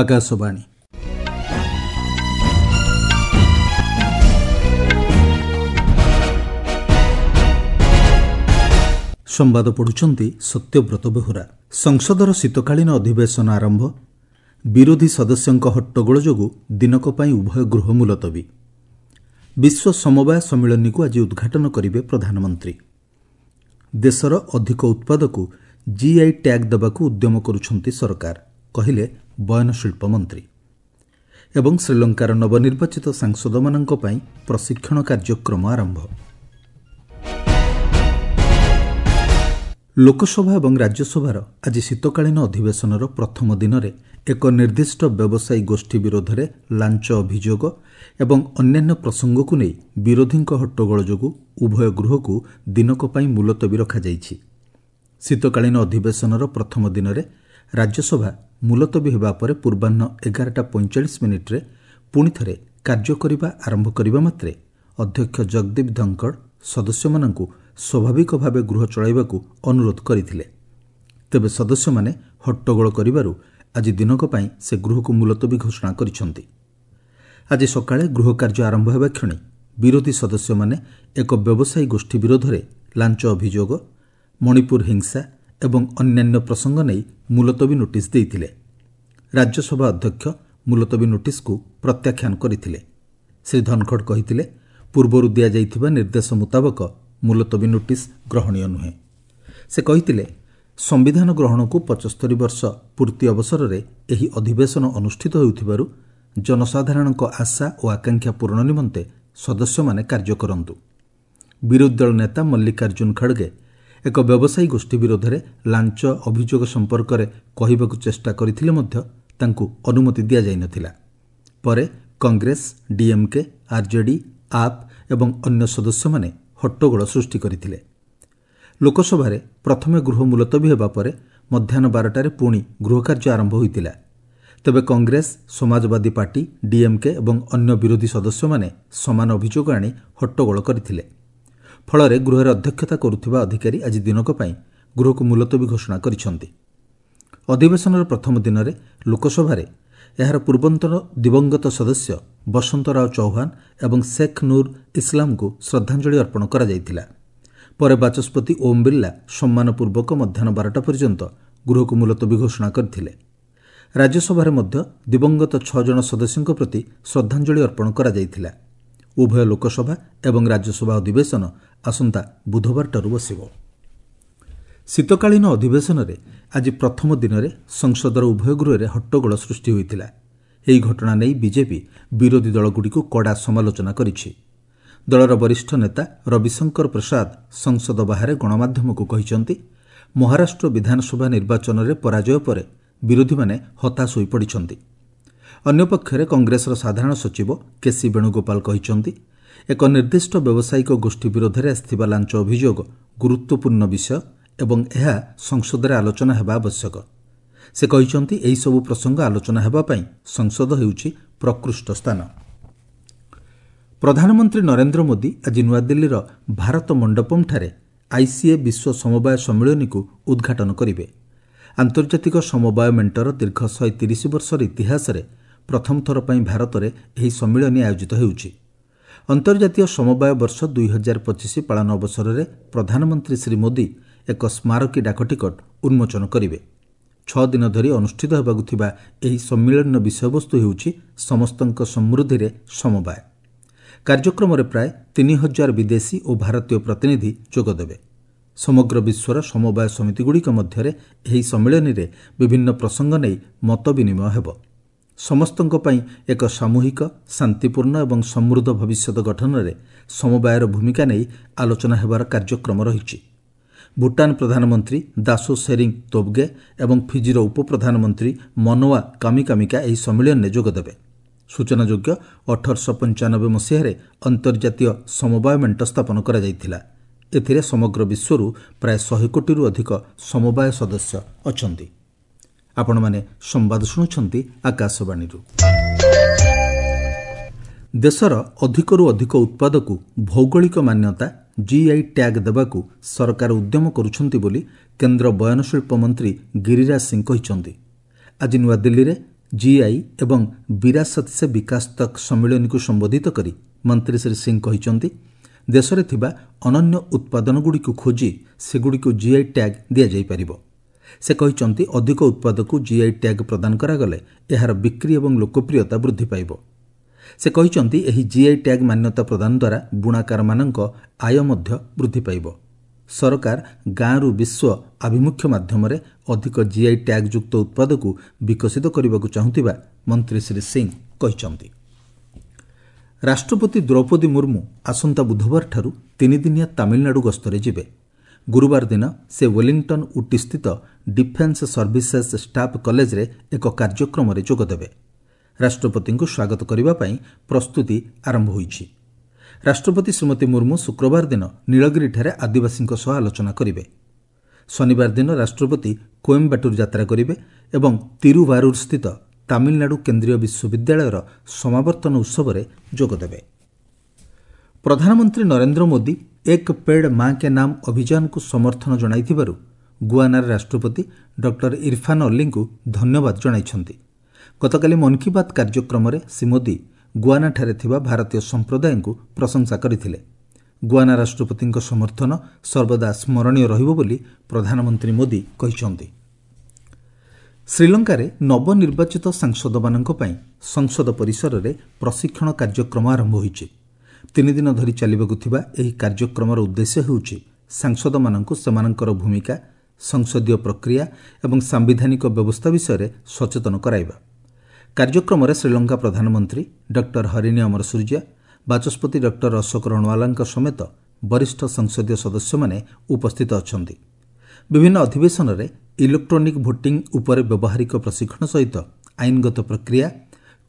ଆକାଶବାଣୀ। ସମ୍ବାଦ ପଢ଼ୁଛନ୍ତି ସତ୍ୟବ୍ରତ ବେହୁରା। ସଂସଦର ଶୀତକାଳୀନ ଅଧିବେଶନ ଆରମ୍ଭ। ବିରୋଧୀ ସଦସ୍ୟଙ୍କ ହଟ୍ଟଗୋଳ ଯୋଗୁଁ ଦିନକ ପାଇଁ ଉଭୟ ଗୃହ ମୁଲତବୀ। ବିଶ୍ୱ ସମବାୟ ସମ୍ମିଳନୀକୁ ଆଜି ଉଦ୍ଘାଟନ କରିବେ ପ୍ରଧାନମନ୍ତ୍ରୀ। ଦେଶର ଅଧିକ ଉତ୍ପାଦକୁ ଜିଆଇ ଟ୍ୟାଗ୍ ଦେବାକୁ ଉଦ୍ୟମ କରୁଛନ୍ତି ସରକାର, କହିଲେ ବୟନଶିଳ୍ପ ମନ୍ତ୍ରୀ। ଏବଂ ଶ୍ରୀଲଙ୍କାର ନବନିର୍ବାଚିତ ସାଂସଦମାନଙ୍କ ପାଇଁ ପ୍ରଶିକ୍ଷଣ କାର୍ଯ୍ୟକ୍ରମ ଆରମ୍ଭ। ଲୋକସଭା ଏବଂ ରାଜ୍ୟସଭାର ଆଜି ଶୀତକାଳୀନ ଅଧିବେଶନର ପ୍ରଥମ ଦିନରେ ଏକ ନିର୍ଦ୍ଦିଷ୍ଟ ବ୍ୟବସାୟୀ ଗୋଷ୍ଠୀ ବିରୋଧରେ ଲାଞ୍ଚ ଅଭିଯୋଗ ଏବଂ ଅନ୍ୟାନ୍ୟ ପ୍ରସଙ୍ଗକୁ ନେଇ ବିରୋଧୀଙ୍କ ହଟ୍ଟଗୋଳ ଯୋଗୁଁ ଉଭୟ ଗୃହକୁ ଦିନକ ପାଇଁ ମୁଲତବୀ ରଖାଯାଇଛି। ଶୀତକାଳୀନ ଅଧିବେଶନର ପ୍ରଥମ ଦିନରେ ରାଜ୍ୟସଭା ମୁଲତବୀ ହେବା ପରେ ପୂର୍ବାହ୍ନ 11ଟା 45 ମିନିଟ୍ରେ ପୁଣିଥରେ କାର୍ଯ୍ୟ କରିବା ଆରମ୍ଭ କରିବା ମାତ୍ରେ ଅଧ୍ୟକ୍ଷ ଜଗଦୀପ ଧନଖଡ଼ ସଦସ୍ୟମାନଙ୍କୁ ସ୍ୱାଭାବିକ ଭାବେ ଗୃହ ଚଳାଇବାକୁ ଅନୁରୋଧ କରିଥିଲେ। ତେବେ ସଦସ୍ୟମାନେ ହଟ୍ଟଗୋଳ କରିବାରୁ ଆଜି ଦିନକ ପାଇଁ ସେ ଗୃହକୁ ମୁଲତବୀ ଘୋଷଣା କରିଛନ୍ତି। ଆଜି ସକାଳେ ଗୃହ କାର୍ଯ୍ୟ ଆରମ୍ଭ ହେବା କ୍ଷଣି ବିରୋଧୀ ସଦସ୍ୟମାନେ ଏକ ବ୍ୟବସାୟୀ ଗୋଷ୍ଠୀ ବିରୋଧରେ ଲାଞ୍ଚ ଅଭିଯୋଗ, ମଣିପୁର ହିଂସା ଏବଂ ଅନ୍ୟାନ୍ୟ ପ୍ରସଙ୍ଗ ନେଇ ମୁଲତବୀ ନୋଟିସ୍ ଦେଇଥିଲେ। ରାଜ୍ୟସଭା ଅଧ୍ୟକ୍ଷ ମୁଲତବୀ ନୋଟିସ୍କୁ ପ୍ରତ୍ୟାଖ୍ୟାନ କରିଥିଲେ। ଶ୍ରୀ ଧନଖଡ଼ କହିଥିଲେ, ପୂର୍ବରୁ ଦିଆଯାଇଥିବା ନିର୍ଦ୍ଦେଶ ମୁତାବକ ମୁଲତବୀ ନୋଟିସ୍ ଗ୍ରହଣୀୟ ନୁହେଁ। ସେ କହିଥିଲେ, ସମ୍ବିଧାନ ଗ୍ରହଣକୁ 75 ବର୍ଷ ପୂର୍ତ୍ତି ଅବସରରେ ଏହି ଅଧିବେଶନ ଅନୁଷ୍ଠିତ ହେଉଥିବାରୁ ଜନସାଧାରଣଙ୍କ ଆଶା ଓ ଆକାଂକ୍ଷା ପୂରଣ ନିମନ୍ତେ ସଦସ୍ୟମାନେ କାର୍ଯ୍ୟ କରନ୍ତୁ। ବିରୋଧୀ ଦଳ ନେତା ମଲ୍ଲିକାର୍ଜୁନ ଖଡ଼ଗେ ଏକ ବ୍ୟବସାୟୀ ଗୋଷ୍ଠୀ ବିରୋଧରେ ଲାଞ୍ଚ ଅଭିଯୋଗ ସମ୍ପର୍କରେ କହିବାକୁ ଚେଷ୍ଟା କରିଥିଲେ ମଧ୍ୟ ତାଙ୍କୁ ଅନୁମତି ଦିଆଯାଇନଥିଲା। ପରେ କଂଗ୍ରେସ, ଡିଏମ୍କେ, ଆର୍ଜେଡି, ଆପ୍ ଏବଂ ଅନ୍ୟ ସଦସ୍ୟମାନେ ହଟ୍ଟଗୋଳ ସୃଷ୍ଟି କରିଥିଲେ। ଲୋକସଭାରେ ପ୍ରଥମେ ଗୃହ ମୁଲତବୀ ହେବା ପରେ ମଧ୍ୟାହ୍ନ 12ଟାରେ ପୁଣି ଗୃହକାର୍ଯ୍ୟ ଆରମ୍ଭ ହୋଇଥିଲା। ତେବେ କଂଗ୍ରେସ, ସମାଜବାଦୀ ପାର୍ଟି, ଡିଏମ୍କେ ଏବଂ ଅନ୍ୟ ବିରୋଧୀ ସଦସ୍ୟମାନେ ସମାନ ଅଭିଯୋଗ ଆଣି ହଟ୍ଟଗୋଳ କରିଥିଲେ। ଫଳରେ ଗୃହରେ ଅଧ୍ୟକ୍ଷତା କରୁଥିବା ଅଧିକାରୀ ଆଜି ଦିନକ ପାଇଁ ଗୃହକୁ ମୁଲତବୀ ଘୋଷଣା କରିଛନ୍ତି। ଅଧିବେଶନର ପ୍ରଥମ ଦିନରେ ଲୋକସଭାରେ ଏହାର ପୂର୍ବତନ ଦିବଂଗତ ସଦସ୍ୟ ବସନ୍ତ ରାଓ ଚୌହାନ ଏବଂ ଶେଖ୍ ନୁର୍ ଇସ୍ଲାମଙ୍କୁ ଶ୍ରଦ୍ଧାଞ୍ଜଳି ଅର୍ପଣ କରାଯାଇଥିଲା। ପରେ ବାଚସ୍ପତି ଓମ୍ ବିର୍ଲା ସମ୍ମାନପୂର୍ବକ ମଧ୍ୟାହ୍ନ 12ଟା ପର୍ଯ୍ୟନ୍ତ ଗୃହକୁ ମୁଲତବୀ ଘୋଷଣା କରିଥିଲେ। ରାଜ୍ୟସଭାରେ ମଧ୍ୟ ଦିବଂଗତ ଛଅ ଜଣ ସଦସ୍ୟଙ୍କ ପ୍ରତି ଶ୍ରଦ୍ଧାଞ୍ଜଳି ଅର୍ପଣ କରାଯାଇଥିଲା। ଉଭୟ ଲୋକସଭା ଏବଂ ରାଜ୍ୟସଭା ଅଧିବେଶନ ଆସନ୍ତା ବୁଧବାରଠାରୁ ବସିବ। ଶୀତକାଳୀନ ଅଧିବେଶନରେ ଆଜି ପ୍ରଥମ ଦିନରେ ସଂସଦର ଉଭୟ ଗୃହରେ ହଟ୍ଟଗୋଳ ସୃଷ୍ଟି ହୋଇଥିଲା। ଏହି ଘଟଣା ନେଇ ବିଜେପି ବିରୋଧୀ ଦଳଗୁଡ଼ିକୁ କଡ଼ା ସମାଲୋଚନା କରିଛି। ଦଳର ବରିଷ୍ଠ ନେତା ରବିଶଙ୍କର ପ୍ରସାଦ ସଂସଦ ବାହାରେ ଗଣମାଧ୍ୟମକୁ କହିଛନ୍ତି, ମହାରାଷ୍ଟ୍ର ବିଧାନସଭା ନିର୍ବାଚନରେ ପରାଜୟ ପରେ ବିରୋଧୀମାନେ ହତାଶ ହୋଇପଡ଼ିଛନ୍ତି। ଅନ୍ୟପକ୍ଷରେ କଂଗ୍ରେସର ସାଧାରଣ ସଚିବ କେସି ବେଣୁଗୋପାଳ କହିଛନ୍ତି, ଏକ ନିର୍ଦ୍ଦିଷ୍ଟ ବ୍ୟବସାୟିକ ଗୋଷ୍ଠୀ ବିରୋଧରେ ଆସିଥିବା ଲାଞ୍ଚ ଅଭିଯୋଗ ଗୁରୁତ୍ୱପୂର୍ଣ୍ଣ ବିଷୟ ଏବଂ ଏହା ସଂସଦରେ ଆଲୋଚନା ହେବା ଆବଶ୍ୟକ। ସେ କହିଛନ୍ତି, ଏହିସବୁ ପ୍ରସଙ୍ଗ ଆଲୋଚନା ହେବା ପାଇଁ ସଂସଦ ହେଉଛି ପ୍ରକୃଷ୍ଟ ସ୍ଥାନ। ପ୍ରଧାନମନ୍ତ୍ରୀ ନରେନ୍ଦ୍ର ମୋଦି ଆଜି ନୂଆଦିଲ୍ଲୀର ଭାରତ ମଣ୍ଡପମ୍ଠାରେ ଆଇସିଏ ବିଶ୍ୱ ସମବାୟ ସମ୍ମିଳନୀକୁ ଉଦ୍ଘାଟନ କରିବେ। ଆନ୍ତର୍ଜାତିକ ସମବାୟ ମେଣ୍ଟର ଦୀର୍ଘ 130 ବର୍ଷର ଇତିହାସରେ ପ୍ରଥମ ଥର ପାଇଁ ଭାରତରେ ଏହି ସମ୍ମିଳନୀ ଆୟୋଜିତ ହେଉଛି। ଅନ୍ତର୍ଜାତୀୟ ସମବାୟ ବର୍ଷ 2025 ପାଳନ ଅବସରରେ ପ୍ରଧାନମନ୍ତ୍ରୀ ଶ୍ରୀ ମୋଦି ଏକ ସ୍ମାରକୀ ଡାକଟିକଟ ଉନ୍ମୋଚନ କରିବେ। 6 ଦିନ ଧରି ଅନୁଷ୍ଠିତ ହେବାକୁ ଥିବା ଏହି ସମ୍ମିଳନୀର ବିଷୟବସ୍ତୁ ହେଉଛି "ସମସ୍ତଙ୍କ ସମୃଦ୍ଧିରେ ସମବାୟ"। କାର୍ଯ୍ୟକ୍ରମରେ ପ୍ରାୟ 3000 ବିଦେଶୀ ଓ ଭାରତୀୟ ପ୍ରତିନିଧି ଯୋଗଦେବେ। ସମଗ୍ର ବିଶ୍ୱର ସମବାୟ ସମିତିଗୁଡ଼ିକ ମଧ୍ୟରେ ଏହି ସମ୍ମିଳନୀରେ ବିଭିନ୍ନ ପ୍ରସଙ୍ଗ ନେଇ ମତ ବିନିମୟ ହେବ। ସମସ୍ତଙ୍କ ପାଇଁ ଏକ ସାମୂହିକ, ଶାନ୍ତିପୂର୍ଣ୍ଣ ଏବଂ ସମୃଦ୍ଧ ଭବିଷ୍ୟତ ଗଠନରେ ସମବାୟର ଭୂମିକା ନେଇ ଆଲୋଚନା ହେବାର କାର୍ଯ୍ୟକ୍ରମ ରହିଛି। ଭୁଟାନ ପ୍ରଧାନମନ୍ତ୍ରୀ ଦାସୋ ସେରିଂ ତୋବଗେ ଏବଂ ଫିଜିର ଉପପ୍ରଧାନମନ୍ତ୍ରୀ ମନୋଆ କାମିକାମିକା ଏହି ସମ୍ମିଳନୀରେ ଯୋଗଦେବେ। ସୂଚନାଯୋଗ୍ୟ, 1895 ମସିହାରେ ଅନ୍ତର୍ଜାତୀୟ ସମବାୟ ମେଣ୍ଟ ସ୍ଥାପନ କରାଯାଇଥିଲା। ଏଥିରେ ସମଗ୍ର ବିଶ୍ୱରୁ ପ୍ରାୟ 100 କୋଟିରୁ ଅଧିକ ସମବାୟ ସଦସ୍ୟ ଅଛନ୍ତି। ଆପଣମାନେ ସମ୍ବାଦ ଶୁଣୁଛନ୍ତି ଆକାଶବାଣୀରୁ। ଦେଶର ଅଧିକରୁ ଅଧିକ ଉତ୍ପାଦକୁ ଭୌଗୋଳିକ ମାନ୍ୟତା ଜିଆଇ ଟ୍ୟାଗ୍ ଦେବାକୁ ସରକାର ଉଦ୍ୟମ କରୁଛନ୍ତି ବୋଲି କେନ୍ଦ୍ର ବୟନଶିଳ୍ପ ମନ୍ତ୍ରୀ ଗିରିରାଜ ସିଂ କହିଛନ୍ତି। ଆଜି ନୂଆଦିଲ୍ଲୀରେ ଜିଆଇ ଏବଂ ବିରାସତ ସେ ବିକାଶ ତକ୍ ସମ୍ମିଳନୀକୁ ସମ୍ବୋଧିତ କରି ମନ୍ତ୍ରୀ ଶ୍ରୀ ସିଂ କହିଛନ୍ତି, ଦେଶରେ ଥିବା ଅନନ୍ୟ ଉତ୍ପାଦନଗୁଡ଼ିକୁ ଖୋଜି ସେଗୁଡ଼ିକୁ ଜିଆଇ ଟ୍ୟାଗ୍ ଦିଆଯାଇପାରିବ। ସେ କହିଛନ୍ତି, ଅଧିକ ଉତ୍ପାଦକୁ ଜିଆଇ ଟ୍ୟାଗ୍ ପ୍ରଦାନ କରାଗଲେ ଏହାର ବିକ୍ରି ଏବଂ ଲୋକପ୍ରିୟତା ବୃଦ୍ଧି ପାଇବ। ସେ କହିଛନ୍ତି, ଏହି ଜିଆଇ ଟ୍ୟାଗ୍ ମାନ୍ୟତା ପ୍ରଦାନ ଦ୍ୱାରା ବୁଣାକାରମାନଙ୍କ ଆୟ ମଧ୍ୟ ବୃଦ୍ଧି ପାଇବ। ସରକାର ଗାଁରୁ ବିଶ୍ୱ ଆଭିମୁଖ୍ୟ ମାଧ୍ୟମରେ ଅଧିକ ଜିଆଇ ଟ୍ୟାଗ୍ଯୁକ୍ତ ଉତ୍ପାଦକୁ ବିକଶିତ କରିବାକୁ ଚାହୁଁଥିବା ମନ୍ତ୍ରୀ ଶ୍ରୀ ସିଂ କହିଛନ୍ତି। ରାଷ୍ଟ୍ରପତି ଦ୍ରୌପଦୀ ମୁର୍ମୁ ଆସନ୍ତା ବୁଧବାରଠାରୁ 3 ଦିନିଆ ତାମିଲନାଡୁ ଗସ୍ତରେ ଯିବେ। ଗୁରୁବାର ଦିନ ସେ ୱେଲିଂଟନ୍ ଉଟିସ୍ଥିତ ଡିଫେନ୍ସ ସର୍ଭିସେସ୍ ଷ୍ଟାଫ୍ କଲେଜରେ ଏକ କାର୍ଯ୍ୟକ୍ରମରେ ଯୋଗଦେବେ। ରାଷ୍ଟ୍ରପତିଙ୍କୁ ସ୍ୱାଗତ କରିବା ପାଇଁ ପ୍ରସ୍ତୁତି ଆରମ୍ଭ ହୋଇଛି। ରାଷ୍ଟ୍ରପତି ଶ୍ରୀମତୀ ମୁର୍ମୁ ଶୁକ୍ରବାର ଦିନ ନୀଳଗିରିଠାରେ ଆଦିବାସୀଙ୍କ ସହ ଆଲୋଚନା କରିବେ। ଶନିବାର ଦିନ ରାଷ୍ଟ୍ରପତି କୋଏମ୍ବାଟୁର ଯାତ୍ରା କରିବେ ଏବଂ ତିରୁଭାରୁରସ୍ଥିତ ତାମିଲନାଡୁ କେନ୍ଦ୍ରୀୟ ବିଶ୍ୱବିଦ୍ୟାଳୟର ସମାବର୍ତ୍ତନ ଉତ୍ସବରେ ଯୋଗଦେବେ। ପ୍ରଧାନମନ୍ତ୍ରୀ ନରେନ୍ଦ୍ର ମୋଦି "ଏକ ପେଡ୍ ମା କେ ନାମ" ଅଭିଯାନକୁ ସମର୍ଥନ ଜଣାଇଥିବାରୁ ଗୁଆନାର ରାଷ୍ଟ୍ରପତି ଡକ୍ଟର ଇରଫାନ୍ ଅଲ୍ଲୀଙ୍କୁ ଧନ୍ୟବାଦ ଜଣାଇଛନ୍ତି। ଗତକାଲି ମନ୍ କି ବାତ୍ କାର୍ଯ୍ୟକ୍ରମରେ ଶ୍ରୀ ମୋଦି ଗୁଆନାଠାରେ ଥିବା ଭାରତୀୟ ସମ୍ପ୍ରଦାୟଙ୍କୁ ପ୍ରଶଂସା କରିଥିଲେ। ଗୁଆନା ରାଷ୍ଟ୍ରପତିଙ୍କ ସମର୍ଥନ ସର୍ବଦା ସ୍ମରଣୀୟ ରହିବ ବୋଲି ପ୍ରଧାନମନ୍ତ୍ରୀ ମୋଦି କହିଛନ୍ତି। ଶ୍ରୀଲଙ୍କାରେ ନବନିର୍ବାଚିତ ସାଂସଦମାନଙ୍କ ପାଇଁ ସଂସଦ ପରିସରରେ ପ୍ରଶିକ୍ଷଣ କାର୍ଯ୍ୟକ୍ରମ ଆରମ୍ଭ ହୋଇଛି। 3 ଦିନ ଧରି ଚାଲିବାକୁ ଥିବା ଏହି କାର୍ଯ୍ୟକ୍ରମର ଉଦ୍ଦେଶ୍ୟ ହେଉଛି ସାଂସଦମାନଙ୍କୁ ସେମାନଙ୍କର ଭୂମିକା, ସଂସଦୀୟ ପ୍ରକ୍ରିୟା ଏବଂ ସାମ୍ବିଧାନିକ ବ୍ୟବସ୍ଥା ବିଷୟରେ ସଚେତନ କରାଇବା। କାର୍ଯ୍ୟକ୍ରମରେ ଶ୍ରୀଲଙ୍କା ପ୍ରଧାନମନ୍ତ୍ରୀ ଡକ୍ଟର ହରିଣୀ ଅମରସୂର୍ଯ୍ୟା, ବାଚସ୍ପତି ଡକ୍ଟର ଅଶୋକ ରଣୱାଲାଙ୍କ ସମେତ ବରିଷ୍ଠ ସଂସଦୀୟ ସଦସ୍ୟମାନେ ଉପସ୍ଥିତ ଅଛନ୍ତି। ବିଭିନ୍ନ ଅଧିବେଶନରେ ଇଲେକ୍ଟ୍ରୋନିକ୍ ଭୋଟିଂ ଉପରେ ବ୍ୟବହାରିକ ପ୍ରଶିକ୍ଷଣ ସହିତ ଆଇନଗତ ପ୍ରକ୍ରିୟା,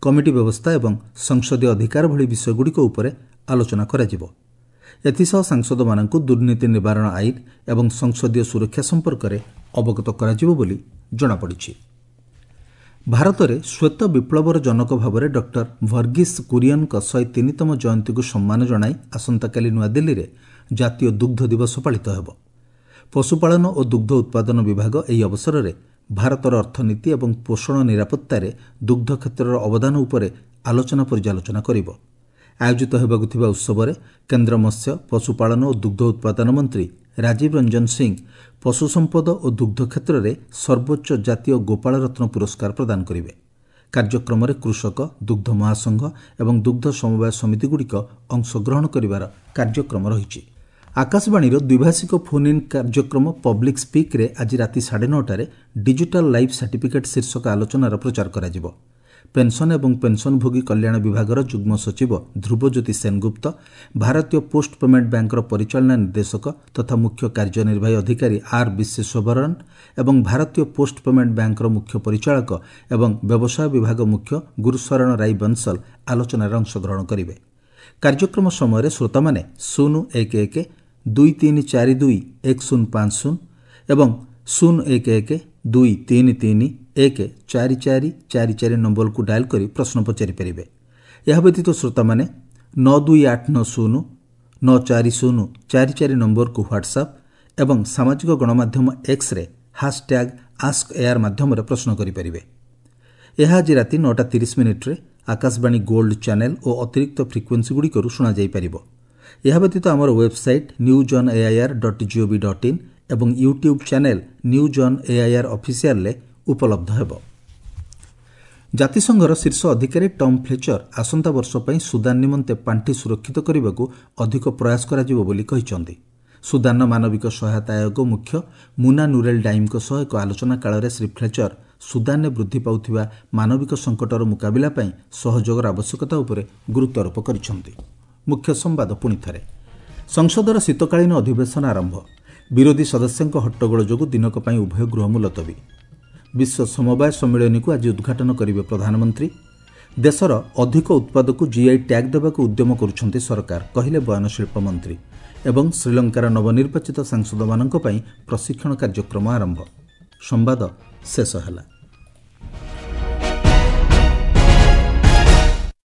କମିଟି ବ୍ୟବସ୍ଥା ଏବଂ ସଂସଦୀୟ ଅଧିକାର ଭଳି ବିଷୟଗୁଡ଼ିକ ଉପରେ ଆଲୋଚନା କରାଯିବ। ଏଥିସହ ସାଂସଦମାନଙ୍କୁ ଦୁର୍ନୀତି ନିବାରଣ ଆଇନ ଏବଂ ସଂସଦୀୟ ସୁରକ୍ଷା ସମ୍ପର୍କରେ ଅବଗତ କରାଯିବ ବୋଲି ଜଣାପଡ଼ିଛି। ଭାରତରେ ଶ୍ୱେତ ବିପ୍ଳବର ଜନକ ଭାବରେ ଡକ୍ଟର ଭର୍ଗିସ୍ କୁରିୟନଙ୍କ 103ତମ ଜୟନ୍ତୀକୁ ସମ୍ମାନ ଜଣାଇ ଆସନ୍ତାକାଲି ନୂଆଦିଲ୍ଲୀରେ ଜାତୀୟ ଦୁଗ୍ଧ ଦିବସ ପାଳିତ ହେବ। ପଶୁପାଳନ ଓ ଦୁଗ୍ଧ ଉତ୍ପାଦନ ବିଭାଗ ଏହି ଅବସରରେ ଭାରତର ଅର୍ଥନୀତି ଏବଂ ପୋଷଣ ନିରାପତ୍ତାରେ ଦୁଗ୍ଧ କ୍ଷେତ୍ରର ଅବଦାନ ଉପରେ ଆଲୋଚନା ପର୍ଯ୍ୟାଲୋଚନା କରିବ। ଆୟୋଜିତ ହେବାକୁ ଥିବା ଉତ୍ସବରେ କେନ୍ଦ୍ର ମତ୍ସ୍ୟ, ପଶୁପାଳନ ଓ ଦୁଗ୍ଧ ଉତ୍ପାଦନ ମନ୍ତ୍ରୀ ରାଜୀବ ରଞ୍ଜନ ସିଂ ପଶୁ ସମ୍ପଦ ଓ ଦୁଗ୍ଧ କ୍ଷେତ୍ରରେ ସର୍ବୋଚ୍ଚ ଜାତୀୟ ଗୋପାଳ ରତ୍ନ ପୁରସ୍କାର ପ୍ରଦାନ କରିବେ। କାର୍ଯ୍ୟକ୍ରମରେ କୃଷକ, ଦୁଗ୍ଧ ମହାସଂଘ ଏବଂ ଦୁଗ୍ଧ ସମବାୟ ସମିତିଗୁଡ଼ିକ ଅଂଶଗ୍ରହଣ କରିବାର କାର୍ଯ୍ୟକ୍ରମ ରହିଛି। ଆକାଶବାଣୀର ଦ୍ୱିଭାଷିକ ଫୋନ୍ ଇନ୍ କାର୍ଯ୍ୟକ୍ରମ ପବ୍ଲିକ୍ ସ୍ପିକ୍ରେ ଆଜି ରାତି 9:30ରେ ଡିଜିଟାଲ୍ ଲାଇଫ୍ ସାର୍ଟିଫିକେଟ୍ ଶୀର୍ଷକ ଆଲୋଚନାର ପ୍ରଚାର କରାଯିବ। ପେନ୍ସନ୍ ଏବଂ ପେନ୍ସନ୍ଭୋଗୀ କଲ୍ୟାଣ ବିଭାଗର ଯୁଗ୍ମ ସଚିବ ଧ୍ରୁବଜ୍ୟୋତି ସେନଗୁପ୍ତ, ଭାରତୀୟ ପୋଷ୍ଟ ପେମେଣ୍ଟ ବ୍ୟାଙ୍କର ପରିଚାଳନା ନିର୍ଦ୍ଦେଶକ ତଥା ମୁଖ୍ୟ କାର୍ଯ୍ୟନିର୍ବାହୀ ଅଧିକାରୀ ଆର୍ ବିଶ୍ୱେଶ୍ୱରନ୍ ଏବଂ ଭାରତୀୟ ପୋଷ୍ଟ ପେମେଣ୍ଟ ବ୍ୟାଙ୍କର ମୁଖ୍ୟ ପରିଚାଳକ ଏବଂ ବ୍ୟବସାୟ ବିଭାଗ ମୁଖ୍ୟ ଗୁରୁଶରଣ ରାଇ ବଂଶଲ ଆଲୋଚନାରେ ଅଂଶଗ୍ରହଣ କରିବେ। କାର୍ଯ୍ୟକ୍ରମ ସମୟରେ ଶ୍ରୋତାମାନେ 011 2342 1050 ଏବଂ 011 2331 4444 ନମ୍ବରକୁ ଡାଏଲ୍ କରି ପ୍ରଶ୍ନ ପଚାରିପାରିବେ। ଏହା ବ୍ୟତୀତ ଶ୍ରୋତାମାନେ 92890 94044 ନମ୍ବରକୁ ହ୍ୱାଟ୍ସଆପ୍ ଏବଂ ସାମାଜିକ ଗଣମାଧ୍ୟମ ଏକ୍ସରେ #ଆସ୍କ ଏଆଇଆର୍ ମାଧ୍ୟମରେ ପ୍ରଶ୍ନ କରିପାରିବେ। ଏହା ଆଜି ରାତି 9ଟା 30 ମିନିଟ୍ରେ ଆକାଶବାଣୀ ଗୋଲ୍ଡ ଚ୍ୟାନେଲ୍ ଓ ଅତିରିକ୍ତ ଫ୍ରିକ୍ୱେନ୍ସିଗୁଡ଼ିକରୁ ଶୁଣାଯାଇପାରିବ। ଏହା ବ୍ୟତୀତ ଆମର website newsonair.gov.in ଏବଂ YouTube channel news on AIR ଅଫିସିଆଲ୍ରେ ଉପଲବ୍ଧ ହେବ। ଜାତିସଂଘର ଶୀର୍ଷ ଅଧିକାରୀ ଟମ୍ ଫ୍ଲେଚର ଆସନ୍ତା ବର୍ଷ ପାଇଁ ସୁଦାନ ନିମନ୍ତେ ପାଣ୍ଠି ସୁରକ୍ଷିତ କରିବାକୁ ଅଧିକ ପ୍ରୟାସ କରାଯିବ ବୋଲି କହିଛନ୍ତି। ସୁଦାନର ମାନବିକ ସହାୟତା ଆୟୋଗ ମୁଖ୍ୟ ମୁନା ନୁରେଲ୍ ଡାଇମ୍ଙ୍କ ସହ ଏକ ଆଲୋଚନା କାଳରେ ଶ୍ରୀ ଫ୍ଲେଚର ସୁଦାନରେ ବୃଦ୍ଧି ପାଉଥିବା ମାନବିକ ସଙ୍କଟର ମୁକାବିଲା ପାଇଁ ସହଯୋଗର ଆବଶ୍ୟକତା ଉପରେ ଗୁରୁତ୍ୱାରୋପ କରିଛନ୍ତି। ମୁଖ୍ୟ ସମ୍ବାଦ ପୁଣି ଥରେ। ସଂସଦର ଶୀତକାଳୀନ ଅଧିବେଶନ ଆରମ୍ଭ। ବିରୋଧୀ ସଦସ୍ୟଙ୍କ ହଟ୍ଟଗୋଳ ଯୋଗୁଁ ଦିନକ ପାଇଁ ଉଭୟ ଗୃହ ମୁଲତବୀ। ବିଶ୍ୱ ସମବାୟ ସମ୍ମିଳନୀକୁ ଆଜି ଉଦ୍ଘାଟନ କରିବେ ପ୍ରଧାନମନ୍ତ୍ରୀ। ଦେଶର ଅଧିକ ଉତ୍ପାଦକୁ ଜିଆଇ ଟ୍ୟାଗ୍ ଦେବାକୁ ଉଦ୍ୟମ କରୁଛନ୍ତି ସରକାର, କହିଲେ ବୟନଶିଳ୍ପ ମନ୍ତ୍ରୀ। ଏବଂ ଶ୍ରୀଲଙ୍କାର ନବନିର୍ବାଚିତ ସାଂସଦମାନଙ୍କ ପାଇଁ ପ୍ରଶିକ୍ଷଣ କାର୍ଯ୍ୟକ୍ରମ ଆରମ୍ଭ। ସମ୍ବାଦ ଶେଷ ହେଲା।